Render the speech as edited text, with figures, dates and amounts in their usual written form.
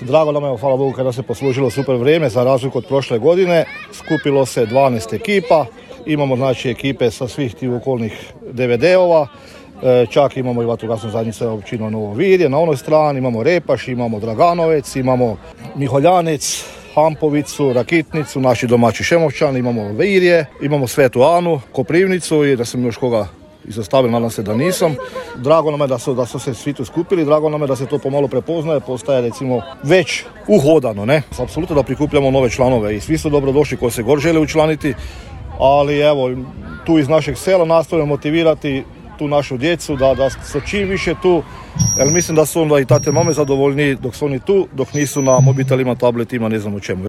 Drago nam je, hvala Bogu, kada se poslužilo super vrijeme za razliku od prošle godine. Skupilo se 12 ekipa, imamo znači ekipe sa svih tih okolnih DVD-ova, čak imamo i vatrogasnu zajednicu općina Novo Virje, na onoj strani imamo Repaš, imamo Draganovec, imamo Miholjanec, Hampovicu, Rakitnicu, naši domaći Šemovčani, imamo Virje, imamo Svetu Anu, Koprivnicu i da sam još koga izostavio, nadam se da nisam. Drago nam je da su se svi tu skupili, drago nam je da se to pomalo prepoznaje, postaje recimo već uhodano, ne? Apsolutno da prikupljamo nove članove i svi su dobrodošli koji se god žele učlaniti, ali evo, tu iz našeg sela nastojimo motivirati tu našu djecu da su čim više tu, jer mislim da su onda i tate mame zadovoljni dok su oni tu, dok nisu na mobitelima, tabletima, ne znam u čemu.